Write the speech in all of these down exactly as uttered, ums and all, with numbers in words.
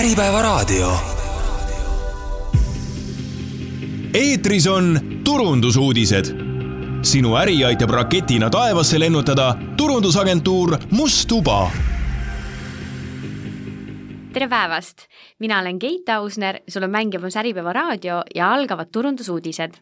Äripäevaraadio. Eetris on turundusuudised. Sinu äri aitab raketina taevasse lennutada turundusagentuur Must Tuba. Tere päevast! Mina olen Keit Ausner, sul on mängimas Äripäevaraadio ja algavad turundusuudised.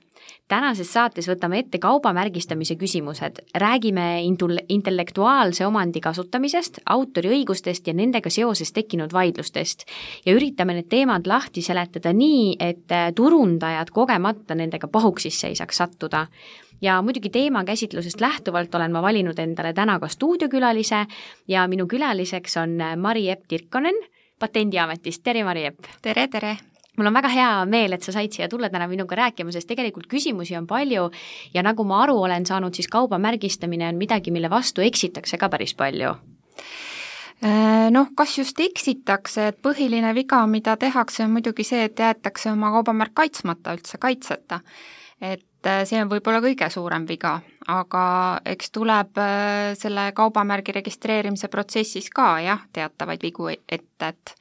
Tänases saates võtame ette kaubamärgistamise küsimused. Räägime intellektuaalse omandi kasutamisest, autoriõigustest ja nendega seoses tekkinud vaidlustest. Ja üritame need teemad lahti seletada nii, et turundajad kogemata nendega pahuksisse ei saaks sattuda. Ja muidugi teema käsitlusest lähtuvalt olen ma valinud endale täna ka stuudiokülalise ja minu külaliseks on Mari-Epp Tirkonen Patendiametist. Tere, Mari-Epp! Tere, tere! Mul on väga hea meel, et sa said siia tulla täna minuga rääkima, sest tegelikult küsimusi on palju ja nagu ma aru olen saanud, siis kaubamärgistamine on midagi, mille vastu eksitakse ka päris palju. Noh, kas just eksitakse, et põhiline viga, mida tehakse, on muidugi see, et jäetakse oma kaubamärk kaitsmata, üldse kaitseta. Et see on võib-olla kõige suurem viga, aga eks tuleb selle kaubamärgi registreerimise protsessis ka jah, teatavaid vigu ette, et,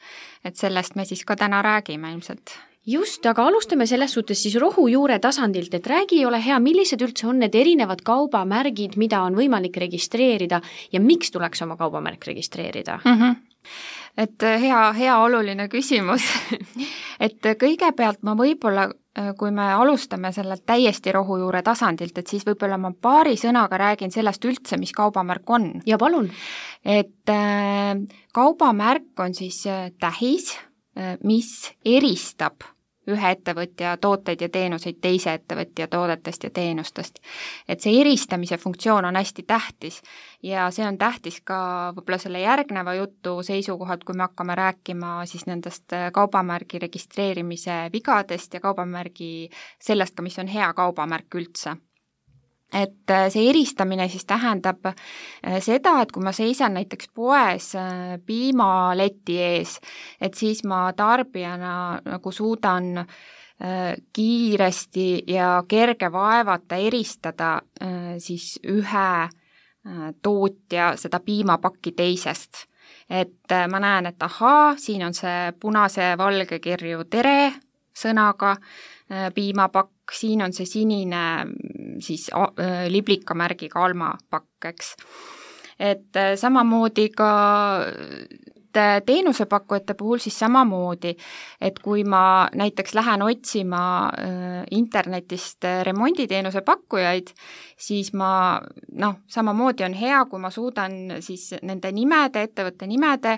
et sellest me siis ka täna räägime ilmselt. Just, aga alustame selles suhtes siis rohujuure tasandilt, et räägi ole hea, millised üldse on need erinevad kaubamärgid, mida on võimalik registreerida ja miks tuleks oma kaubamärk registreerida? Mm-hmm. Et hea, hea oluline küsimus. Et kõigepealt ma võib-olla, kui me alustame selle täiesti rohujuure tasandilt, et siis võib-olla ma paari sõnaga räägin sellest üldse, mis kaubamärk on. Ja palun. Et kaubamärk on siis tähis, mis eristab ühe ettevõtja tooteid ja teenuseid teise ettevõtja toodetest ja teenustest. Et see eristamise funktsioon on hästi tähtis ja see on tähtis ka võib-olla selle järgneva jutu seisukohad, kui me hakkame rääkima siis nendest kaubamärgi registreerimise vigadest ja kaubamärgi sellest ka, mis on hea kaubamärk üldse. Et see eristamine siis tähendab seda, et kui ma seisan näiteks poes piimaleti ees, et siis ma tarbijana nagu suudan kiiresti ja kerge vaevata eristada siis ühe tootja seda piimapakki teisest. Et ma näen, et ahaa, siin on see punase valge kirju tere sõnaga piimapakk, siin on see sinine siis liblikamärgiga almapakk, eks. Et samamoodi ka teenusepakkujate puhul siis samamoodi, et kui ma näiteks lähen otsima internetist remonditeenuse pakkujaid, siis ma, noh, samamoodi on hea, kui ma suudan siis nende nimede, ettevõtte nimede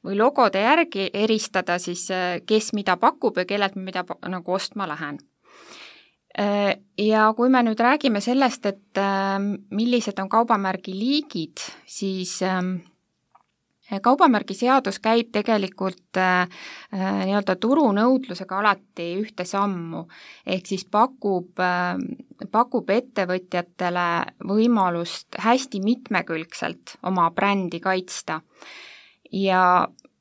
või logode järgi eristada siis, kes mida pakub ja kellelt mida nagu ostma lähen. Ja kui me nüüd räägime sellest, et millised on kaubamärgi liigid, siis kaubamärgi seadus käib tegelikult nii-öelda turunõudlusega alati ühte sammu, ehk siis pakub, pakub ettevõtjatele võimalust hästi mitmekülgselt oma brändi kaitsta ja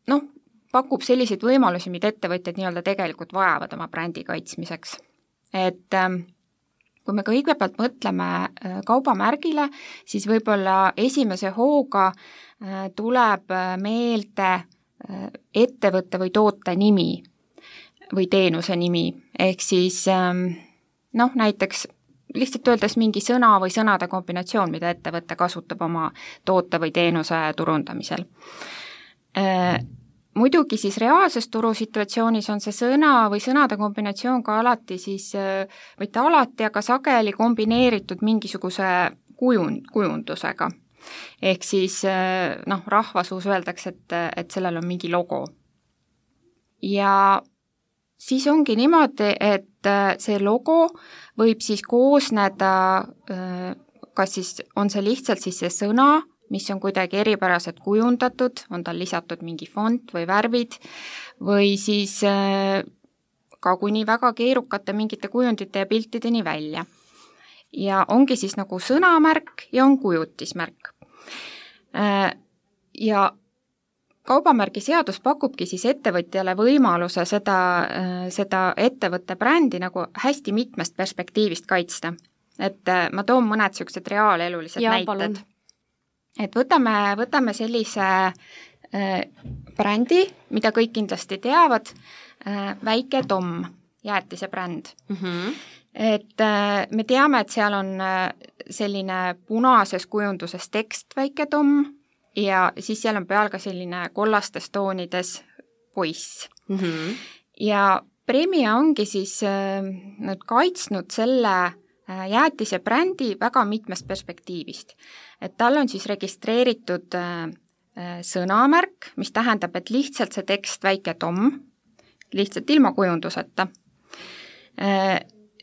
noh, pakub selliseid võimalusi, mida ettevõtjad nii-öelda tegelikult vajavad oma brändi kaitsmiseks. Et kui me kõigepealt mõtleme kaubamärgile, siis võib-olla esimese hooga tuleb meelde ettevõtte või toote nimi või teenuse nimi. Ehk siis noh, näiteks lihtsalt öeldes mingi sõna või sõnade kombinatsioon, mida ettevõte kasutab oma toote või teenuse turundamisel. Muidugi siis reaalses turusituatsioonis on see sõna või sõnade kombinatsioon ka alati siis, mitte alati, aga sageli kombineeritud mingisuguse kujund, kujundusega. Ehk siis noh, rahvasuus öeldakse, et, et sellel on mingi logo. Ja siis ongi niimoodi, et see logo võib siis koosneda, kas siis on see lihtsalt siis see sõna, mis on kuidagi eripäraselt kujundatud, on tal lisatud mingi font või värvid või siis ka kuni väga keerukate mingite kujundite ja piltideni välja. Ja ongi siis nagu sõnamärk ja on kujutismärk. Ja kaubamärgi seadus pakubki siis ettevõtjale võimaluse seda, seda ettevõtte brändi nagu hästi mitmest perspektiivist kaitsta. Et ma toon mõned sellised reaalelulised ja, näited. Palun. Et võtame, võtame sellise brändi, mida kõik kindlasti teavad, Väike Tom, jäätise bränd mm. -hmm. et me teame, et seal on selline punases kujunduses tekst Väike Tom ja siis seal on peal ka selline kollastes toonides poiss mm. -hmm. ja Premia ongi siis nüüd kaitsnud selle jäätise brändi väga mitmest perspektiivist. Et tal on siis registreeritud sõnamärk, mis tähendab, et lihtsalt see tekst Väike Tom, lihtsalt ilma kujunduseta.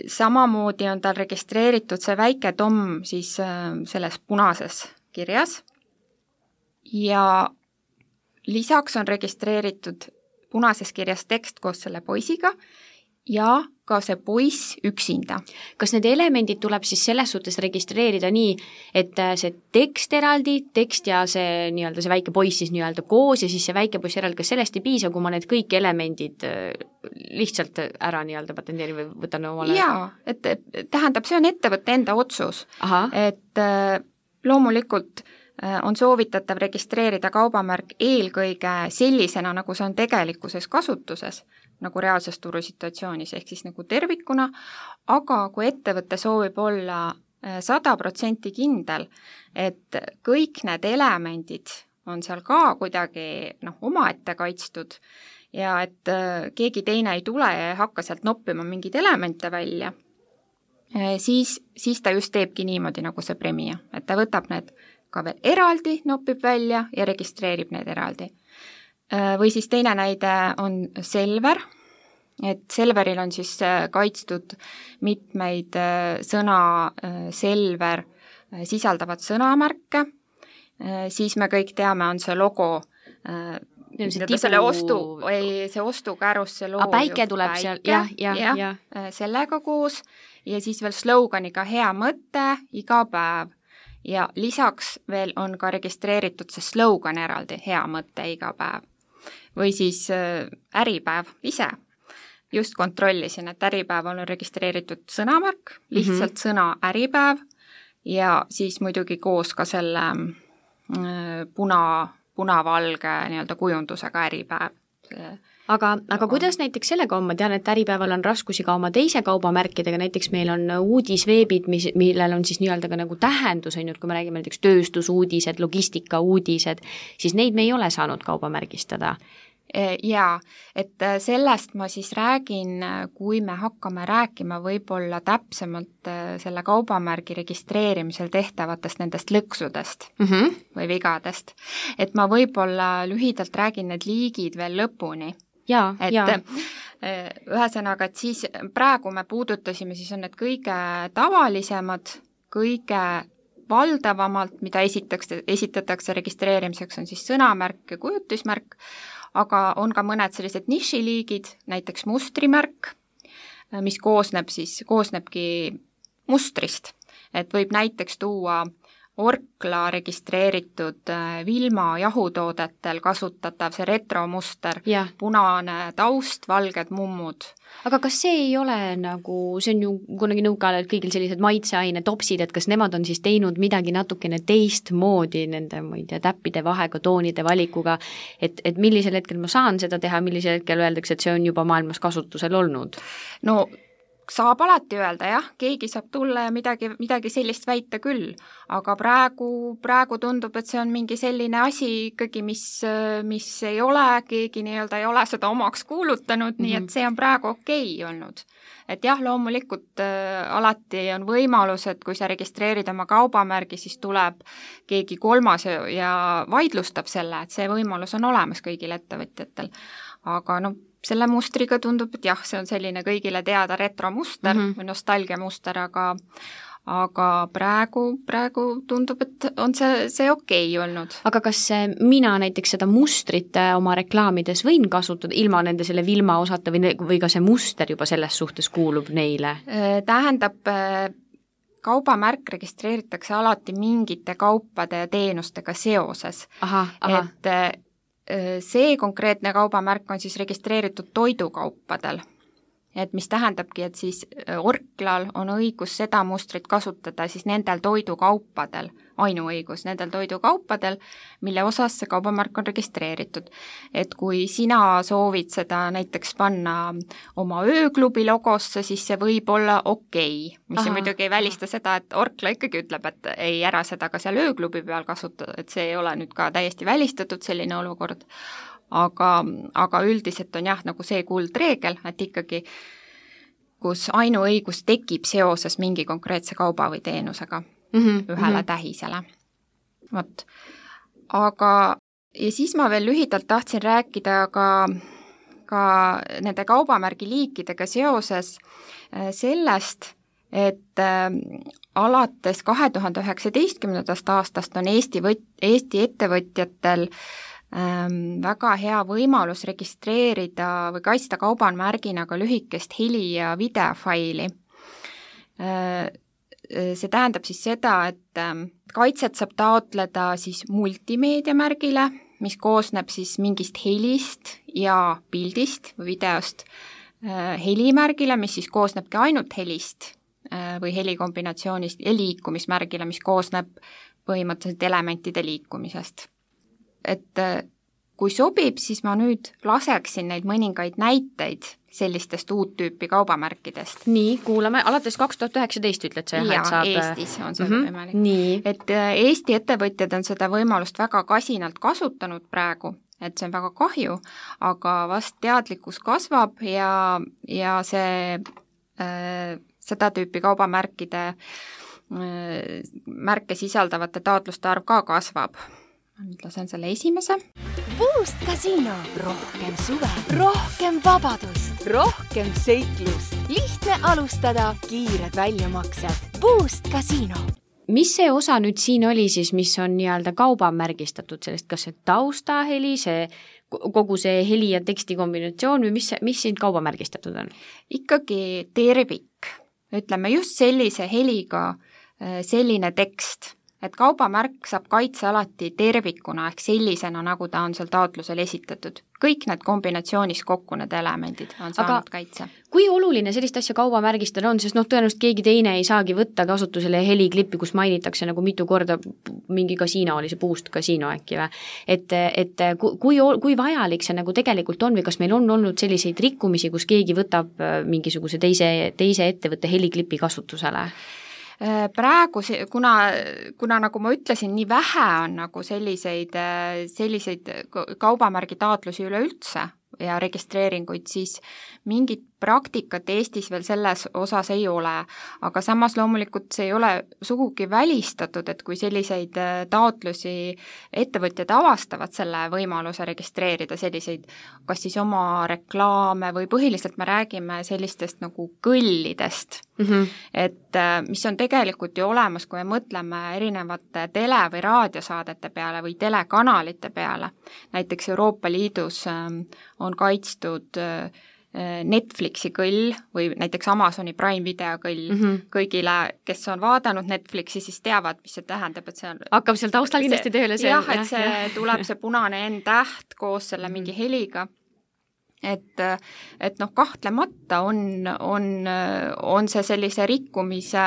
Samamoodi on tal registreeritud see Väike Tom siis selles punases kirjas ja lisaks on registreeritud punases kirjas tekst koos selle poisiga ja ka see poiss üksinda. Kas need elemendid tuleb siis selles suhtes registreerida nii, et see tekst eraldi, tekst ja see, nii-öelda see väike poiss siis nii-öelda koos ja siis see väike poiss eraldi, kas sellest ei piisa, kui ma need kõik elemendid lihtsalt ära nii-öelda patenteerin või võtan omale? Jaa, et tähendab, see on ettevõtte enda otsus. Aha. Et loomulikult on soovitatav registreerida kaubamärk eelkõige sellisena, nagu see on tegelikkuses kasutuses, nagu reaalses turusituatsioonis, ehk siis nagu tervikuna, aga kui ettevõte soovib olla sada protsenti kindel, et kõik need elemendid on seal ka kuidagi noh, omaette kaitstud ja et keegi teine ei tule ja ei hakka sealt noppima mingeid elemente välja, siis, siis ta just teebki niimoodi, nagu see Premia, et ta võtab need ka veel eraldi, nopib välja ja registreerib need eraldi. Või siis teine näide on Selver, et Selveril on siis kaitstud mitmeid sõna Selver sisaldavad sõnamärke, siis me kõik teame, on see logo, see tibu... selle ostu, ei, see ostukäärus, see logo. A päike tuleb seal, jah, jah, jah. Ja, sellega koos ja siis veel sloganiga hea mõte, iga päev. Ja lisaks veel on ka registreeritud see slogan eraldi, hea mõte iga päev. Või siis Äripäev ise. Just kontrollisin, et Äripäev on registreeritud sõnamärk, lihtsalt mm-hmm. sõna Äripäev ja siis muidugi koos ka selle puna, punavalge nii-öelda kujundusega Äripäev. Aga, aga kuidas näiteks sellega on, ma tean, et Äripäeval on raskusi ka oma teise kaubamärkidega, näiteks meil on uudisveebid, mis, millel on siis nii-öelda ka nagu tähendus, on ju, kui me räägime näiteks tööstusuudised, logistikauudised, siis neid me ei ole saanud kaubamärgistada. Jaa, et sellest ma siis räägin, kui me hakkame rääkima võib-olla täpsemalt selle kaubamärgi registreerimisel tehtavatest nendest lõksudest mm-hmm. või vigadest. Et ma võib-olla lühidalt räägin need liigid veel lõpuni. Jaa, et jaa. Ühesõnaga, et siis praegu me puudutasime, siis on need kõige tavalisemad, kõige valdavamalt, mida esitatakse, esitatakse registreerimiseks, on siis sõnamärk ja kujutismärk, aga on ka mõned sellised nišiliigid, näiteks mustrimärk, mis koosneb siis, koosnebki mustrist, et võib näiteks tuua Orkla registreeritud Vilma jahutoodetel kasutatav see retromuster, yeah. punane taust, valged mummud. Aga kas see ei ole nagu, see on ju kunagi nõukaajal kõigil sellised maitseaine topsid, et kas nemad on siis teinud midagi natukene teistmoodi nende, ma ei tea, täppide vahega, toonide valikuga, et, et millisel hetkel ma saan seda teha, millisel hetkel öeldakse, et see on juba maailmas kasutusel olnud? No saab alati öelda, jah, keegi saab tulla ja midagi, midagi sellist väita küll, aga praegu, praegu tundub, et see on mingi selline asi ikkagi, mis, mis ei ole, keegi nii-öelda ei ole seda omaks kuulutanud, mm-hmm. nii et see on praegu okei olnud. Et jah, loomulikult äh, alati on võimalus, et kui sa registreerid oma kaubamärgi, siis tuleb keegi kolmas ja, ja vaidlustab selle, et see võimalus on olemas kõigil ettevõtjatel. Aga no selle mustriga tundub, et jah, see on selline kõigile teada retromuster mm-hmm. või nostalgiamuster, aga, aga praegu, praegu tundub, et on see, see okei olnud. Aga kas mina näiteks seda mustrit oma reklaamides võin kasutada ilma nende selle Vilma osata või, või ka see muster juba selles suhtes kuulub neile? Tähendab, kaubamärk registreeritakse alati mingite kaupade ja teenustega seoses. Aha, aha. Et see konkreetne kaubamärk on siis registreeritud toidukaupadel. et mis tähendabki, et siis Orklal on õigus seda mustrit kasutada siis nendel toidukaupadel, ainuõigus nendel toidukaupadel, mille osas see kaubamärk on registreeritud. Et kui sina soovid seda näiteks panna oma ööklubi logosse, siis see võib olla okei, mis Aha. muidugi ei välista seda, et Orkla ikkagi ütleb, et ei ära seda ka seal ööklubi peal kasutada, et see ei ole nüüd ka täiesti välistatud selline olukord. Aga, aga üldiselt on jah, nagu see kuldreegel, et ikkagi kus ainuõigus tekib seoses mingi konkreetse kauba või teenusega mm -hmm. ühele mm -hmm. tähisele. Vot. Aga ja siis ma veel lühidalt tahtsin rääkida ka, ka nende kaubamärgi liikidega seoses sellest, et äh, alates kahe tuhande üheksateistkümnendast aastast on Eesti, võt, Eesti ettevõtjatel väga hea võimalus registreerida või kaitsta kaubamärgina ka lühikest heli- ja videofaili. See tähendab siis seda, et kaitset saab taotleda siis multimeediamärgile, mis koosneb siis mingist helist ja pildist või videost, helimärgile, mis siis koosnebki ainult helist või helikombinatsioonist, ja liikumismärgile, mis koosneb põhimõtteliselt elementide liikumisest. Et kui sobib, siis ma nüüd laseksin neid mõningaid näiteid sellistest uut tüüpi kaubamärkidest. Nii, kuulame, alates kaks tuhat üheksateist ütled sa, jah, et saab... Eestis on see mm-hmm. võimalik. Nii. Et Eesti ettevõtjad on seda võimalust väga kasinalt kasutanud praegu, et see on väga kahju, aga vast teadlikkus kasvab ja, ja see, äh, seda tüüpi kaubamärkide äh, märke sisaldavate taotluste arv ka kasvab. Nüüd lasen selle esimese. Boost Casino. Rohkem suve, rohkem vabadust, rohkem seiklust. Lihtne alustada, kiired väljamaksed. Boost Casino. Mis see osa nüüd siin oli siis, mis on nii-öelda kaubamärgistatud sellest, kas see taustaheli, see, kogu see heli ja teksti kombinatsioon või mis, mis siin kaubamärgistatud on? Ikkagi tervik. Ütleme just sellise heliga selline tekst. Et kaubamärk saab kaitse alati tervikuna ehk sellisena, nagu ta on seal taotlusel esitatud. Kõik need kombinatsioonis kokku need elemendid on saanud Aga kaitse. Kui oluline sellist asja kaubamärgistada on, sest noh, tõenäoliselt keegi teine ei saagi võtta kasutusele heliklippi, kus mainitakse nagu mitu korda mingi kasiino, oli see Boost Casino äkki või? Et, et kui, kui vajalik see nagu tegelikult on või kas meil on olnud selliseid rikkumisi, kus keegi võtab mingisuguse teise, teise ettevõtte heliklippi kasutusele? Praegu, kuna, kuna nagu ma ütlesin, nii vähe on nagu selliseid, selliseid kaubamärgi taotlusi üleüldse ja registreeringuid, siis mingit praktikat Eestis veel selles osas ei ole, aga samas loomulikult see ei ole sugugi välistatud, et kui selliseid taotlusi ettevõtjad avastavad selle võimaluse registreerida selliseid, kas siis oma reklaame või põhiliselt me räägime sellistest nagu kõllidest, mm-hmm. et mis on tegelikult ju olemas, kui me mõtleme erinevate tele- või raadiosaadete peale või telekanalite peale. Näiteks Euroopa Liidus on kaitstud Netflixi kõll või näiteks Amazoni Prime Video kõll mm-hmm. kõigile, kes on vaadanud Netflixi, siis teavad, mis see tähendab, et see on... Hakkab seal taustal kindlasti tööle see... Jah, et see jah. tuleb see punane N-täht koos selle mingi heliga. Et, et noh, kahtlemata on, on, on see sellise rikkumise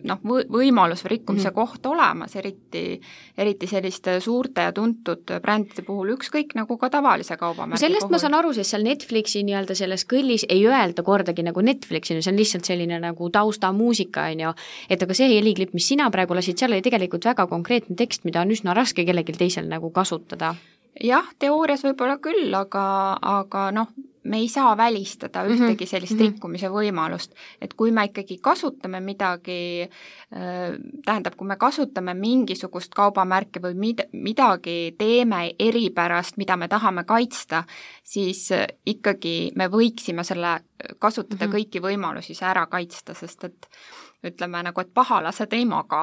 noh, võimalus või rikkumise mm. koht olemas, eriti, eriti selliste suurte ja tuntud brändide puhul, ükskõik nagu ka tavalise kaubamärgi sellest puhul. Ma saan aru, sest seal Netflixi nii-öelda selles kõllis ei öelda kordagi nagu Netflixi, see on lihtsalt selline nagu taustamuusika, on ju, et aga see heliklipp, mis sina praegu lasid, seal oli tegelikult väga konkreetne tekst, mida on üsna raske kellelgi teisel nagu kasutada. Jah, teoorias võib-olla küll, aga, aga noh, me ei saa välistada ühtegi sellist mm-hmm. rikkumise võimalust, et kui me ikkagi kasutame midagi, tähendab, kui me kasutame mingisugust kaubamärke või midagi teeme eripärast, mida me tahame kaitsta, siis ikkagi me võiksime selle kasutada mm-hmm. kõiki võimalusi see ära kaitsta, sest et ütleme nagu, et pahalased ei maga.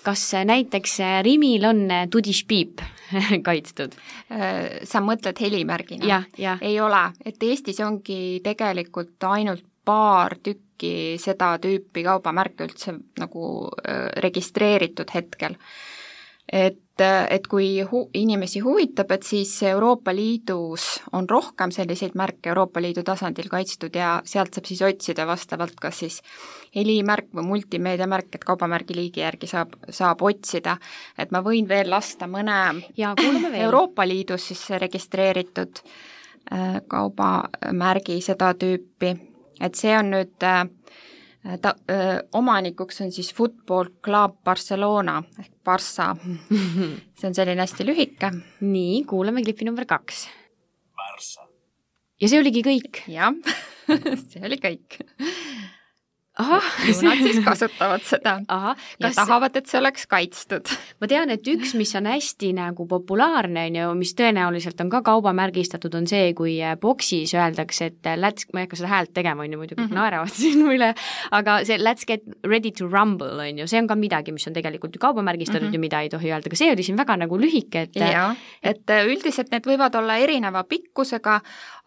Kas näiteks Rimil on tudišpiip kaitstud? Sa mõtled helimärgina? Ja, ja. Ei ole, et Eestis ongi tegelikult ainult paar tükki seda tüüpi kaubamärke üldse nagu registreeritud hetkel. et, et kui hu- inimesi huvitab, et siis Euroopa Liidus on rohkem selliseid märke Euroopa Liidu tasandil kaitstud ja sealt saab siis otsida vastavalt kas siis helimärk või multimeediamärk, et kaubamärgi liigi järgi saab, saab otsida. Et ma võin veel lasta mõne ja, veel. Euroopa Liidus siis registreeritud kaubamärgi seda tüüpi, et see on nüüd ta, öö, omanikuks on siis Football Club Barcelona ehk Barça. See on selline hästi lühike. Nii, kuulame klippi number kaks. Barça. Ja see oligi kõik? Jah, see oli kõik. Aha. Ju nad siis kasutavad seda. Aha. Ja kas... tahavad, et see oleks kaitstud. Ma tean, et üks, mis on hästi nagu populaarne, mis tõenäoliselt on ka kaubamärgistatud, on see, kui boksis öeldakse, et let's, ma ei hakka seda häält tegema, on ju, muidu kõik mm-hmm. naeravad siin üle, aga see let's get ready to rumble, on ju, see on ka midagi, mis on tegelikult ju kaubamärgistatud mm-hmm. ja mida ei tohi öelda, aga see oli siin väga nagu lühike, et... Ja, et üldiselt need võivad olla erineva pikkusega,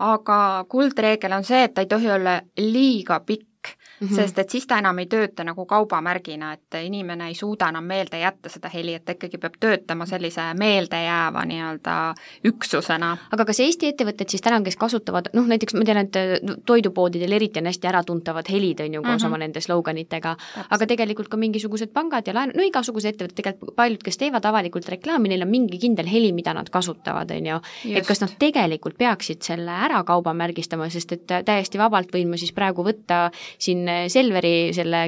aga kuldreegel on see, et ta ei tohi olla liiga pikk, Mm-hmm. sest et siis ta enam ei tööta nagu kaubamärgina, et inimene ei suuda enam meelde jätta seda heli, et ta ikkagi peab töötama sellise meeldejääva nii-öelda üksusena. Aga kas Eesti ettevõtted siis täna, kes kasutavad, noh näiteks ma tean, et toidupoodidel eriti on hästi äratuntavad helid, on ju, koos mm-hmm. oma nende sloganitega, aga tegelikult ka mingisugused pangad ja laen, no igasugused ettevõtted, tegelikult paljud, kes teevad avalikult reklaami, neil on mingi kindel heli, mida nad kasutavad, on ju, et kas nad tegelikult peaksid selle ära kaubamärgistama, sest et täiesti vabalt võin ma siis praegu võtta siin Selveri selle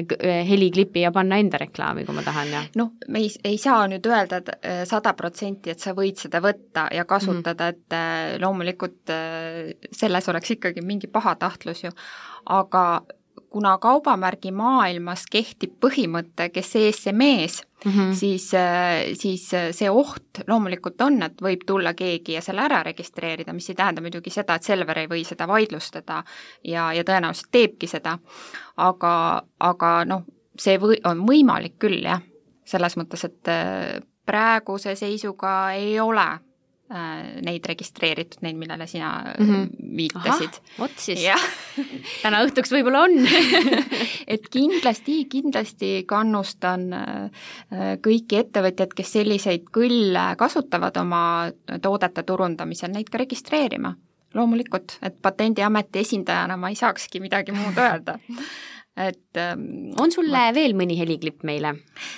heliklipi ja panna enda reklaami, kui ma tahan. Ja. Noh, me ei, ei saa nüüd öelda sada protsenti, et sa võid seda võtta ja kasutada, mm. et loomulikult selles oleks ikkagi mingi pahatahtlus ju, aga kuna kaubamärgi maailmas kehtib põhimõte, kes ees see mees, mm-hmm. siis, siis see oht loomulikult on, et võib tulla keegi ja selle ära registreerida, mis ei tähenda muidugi seda, et Selver ei või seda vaidlustada ja, ja tõenäoliselt teebki seda, aga, aga noh, see või, on võimalik küll, jah, selles mõttes, et praeguse seisuga ei ole neid registreeritud, neid, millele sina mm-hmm. viitasid. Aha, oot siis. Täna õhtuks võib-olla on. Et kindlasti, kindlasti kannustan kõiki ettevõtjad, kes selliseid kõlle kasutavad oma toodete turundamisel, neid ka registreerima. Loomulikult, et Patendiameti esindajana ma ei saakski midagi muud öelda. Et, on sulle ma... veel mõni heliklipp meile?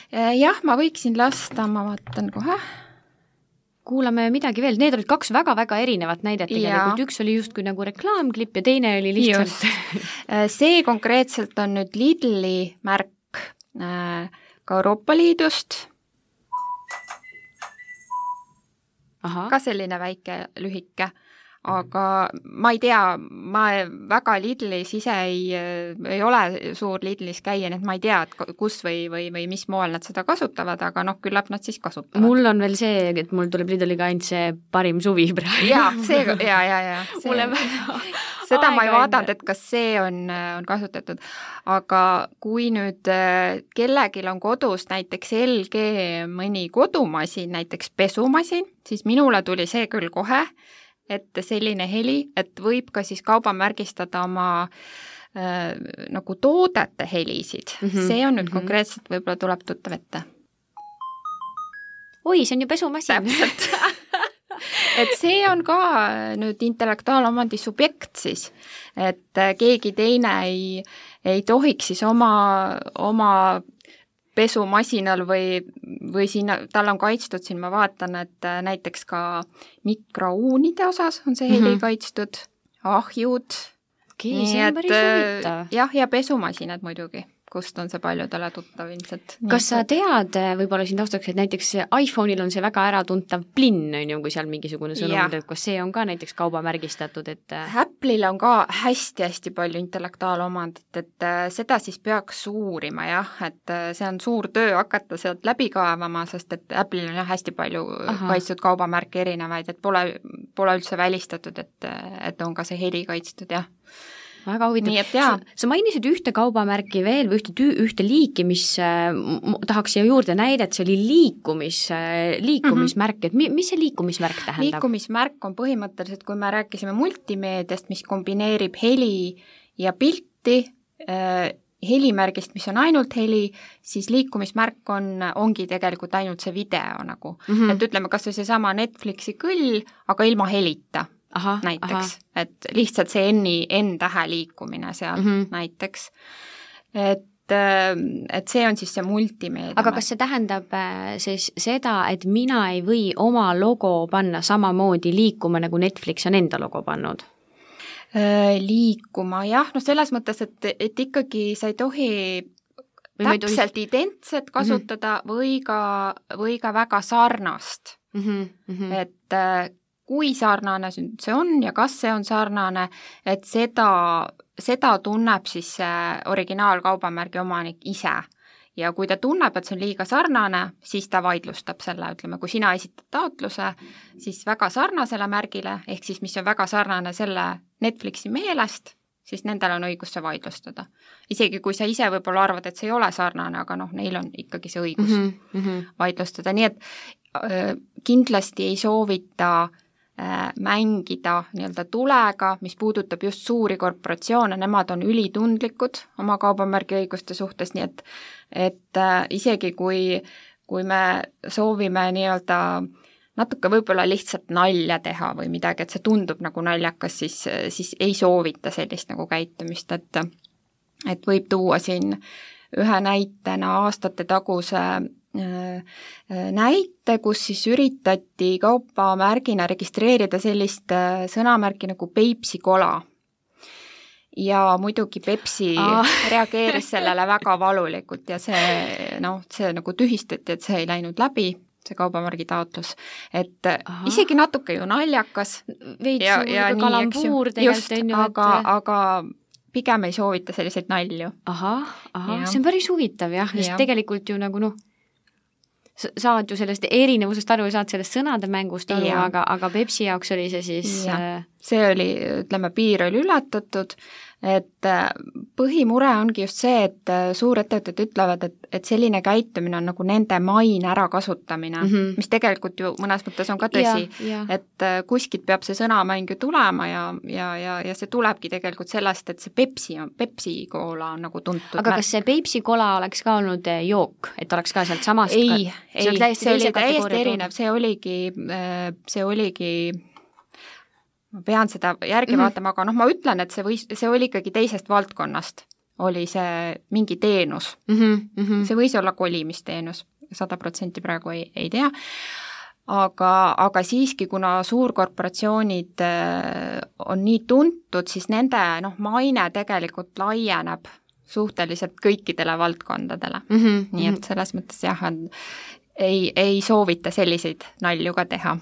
Jah, ma võiksin lasta, ma vaatan kohe. Kuulame midagi veel, need olid kaks väga-väga erinevat näidet tegelikult, üks oli just kui nagu reklaamklipp ja teine oli lihtsalt... See konkreetselt on nüüd Lidli märk ka Euroopa Liidust. Aha. Ka selline väike lühike, aga ma ei tea, ma väga Lidlis ise ei, ei ole suur Lidlis käia, nii et ma ei tea, et kus või, või, või mis moel nad seda kasutavad, aga noh, küllap nad siis kasutavad. Mul on veel see, et mul tuleb Lidliga ainult see parim suvi praegu. Jaa, see, jaa, jaa, jaa. Mulle väga seda ma ei vaadanud, et kas see on, on kasutatud, aga kui nüüd kellegil on kodus näiteks L G mõni kodumasin, näiteks pesumasin, siis minule tuli see küll kohe, et selline heli, et võib ka siis kaubamärgistada oma äh, nagu toodete helisid. Mm-hmm. See on nüüd mm-hmm. konkreetselt võib-olla tuleb tuttav ette. Oi, see on ju pesumasin. Täpselt. Et see on ka nüüd intellektuaalomandi subjekt siis, et keegi teine ei, ei tohiks siis oma, oma pesumasinal või, või siin, tal on kaitstud, siin ma vaatan, et näiteks ka mikrouunide osas on see heli mm-hmm. kaitstud, ahjud. Okei, see on päris huvitav. Jah, ja pesumasinad muidugi, kust on see paljudele tuttav ilmselt. Kas sa tead, võib-olla siin taustaks, et näiteks iPhone'il on see väga äratuntav plinn, on ju, kui seal mingisugune sõnum, et kas see on ka näiteks kaubamärgistatud, et Apple'il on ka hästi-hästi palju intellektuaalomandit, et seda siis peaks uurima, jah, et see on suur töö hakata sealt läbi kaevama, sest et Apple'il on jah hästi palju Aha. kaitstud kaubamärke erinevaid, et pole, pole üldse välistatud, et, et on ka see heli kaitstud, jah. Väga huvitav. Sa, sa mainisid ühte kaubamärki veel või ühte, tüü, ühte liiki, mis äh, tahaks siia juurde näidet, see oli liikumis, äh, liikumismärk, et mi, mis see liikumismärk tähendab? Liikumismärk on põhimõtteliselt, kui me rääkisime multimeediast, mis kombineerib heli ja pilti äh, helimärgist, mis on ainult heli, siis liikumismärk on, ongi tegelikult ainult see video nagu mm. -hmm. et ütleme, kas see sama Netflixi kõll, aga ilma helita aha, näiteks, et lihtsalt see N-i, N-tähe liikumine seal mm -hmm. näiteks. Et et see on siis see multimeedia. Aga kas see tähendab siis seda, et mina ei või oma logo panna samamoodi liikuma, nagu Netflix on enda logo pannud? Liikuma, jah, no selles mõttes, et, et ikkagi sa ei tohi või täpselt tohi... identset kasutada mm -hmm. või, ka, või ka väga sarnast. Mm -hmm. Mm -hmm. Et kui sarnane see on ja kas see on sarnane, et seda, seda tunneb siis see originaalkaubamärgi omanik ise. Ja kui ta tunneb, et see on liiga sarnane, siis ta vaidlustab selle, ütleme, kui sina esitad taotluse, siis väga sarnasele märgile, ehk siis mis on väga sarnane selle Netflixi meelest, siis nendel on õigus see vaidlustada. Isegi kui sa ise võib-olla arvad, et see ei ole sarnane, aga noh, neil on ikkagi see õigus mm -hmm. vaidlustada. Nii et äh, kindlasti ei soovita mängida nii-öelda tulega, mis puudutab just suuri korporatsioone, nemad on ülitundlikud oma kaubamärgi õiguste suhtes, nii et, et äh, isegi kui, kui me soovime nii-öelda natuke võib-olla lihtsalt nalja teha või midagi, et see tundub nagu naljakas, siis, siis ei soovita sellist nagu käitumist, et, et võib tuua siin ühe näitena aastate taguse näite, kus siis üritati kaubamärgina registreerida sellist sõnamärki nagu Peipsi kola. Ja muidugi Pepsi ah. reageeris sellele väga valulikult ja see, noh, see nagu tühistati, et see ei läinud läbi, see kaubamärgi taotlus. Et Aha. isegi natuke ju naljakas. Veits ja, ja kalambuur tegelikult on ju. Aga, et... aga pigem ei soovita selliseid nalju. Aha, aha. Ja. See on päris huvitav jah, sest ja. tegelikult ju nagu noh, saad ju sellest erinevusest aru ja saad sellest sõnade mängust aru, aga, aga Pepsi jaoks oli see siis... Ja. See oli, ütleme, piir oli ületatud, et põhimure ongi just see, et suurettevõtted ütlevad, et, et selline käitumine on nagu nende maine ärakasutamine, mm -hmm. mis tegelikult ju mõnes mõttes on ka tõsi, ja, ja. et kuskilt peab see sõnamäng ju tulema ja, ja, ja, ja see tulebki tegelikult sellest, et see Pepsi, Pepsi koola on nagu tuntud. Aga kas see Peipsi kola oleks ka olnud jook, et oleks ka sealt samast? Ei, ei, see oli täiesti, täiesti erinev, see oligi, see oligi ma pean seda järgi mm -hmm. vaatama, aga noh, ma ütlen, et see võis, see oli ikkagi teisest valdkonnast, oli see mingi teenus mm. -hmm. Mm -hmm. See võis olla kolimisteenus, sada protsenti praegu ei, ei tea, aga, aga siiski, kuna suurkorporatsioonid on nii tuntud, siis nende noh, maine tegelikult laieneb suhteliselt kõikidele valdkondadele mm. -hmm. Nii et selles mõttes jah, ei, ei soovita selliseid nalju ka teha.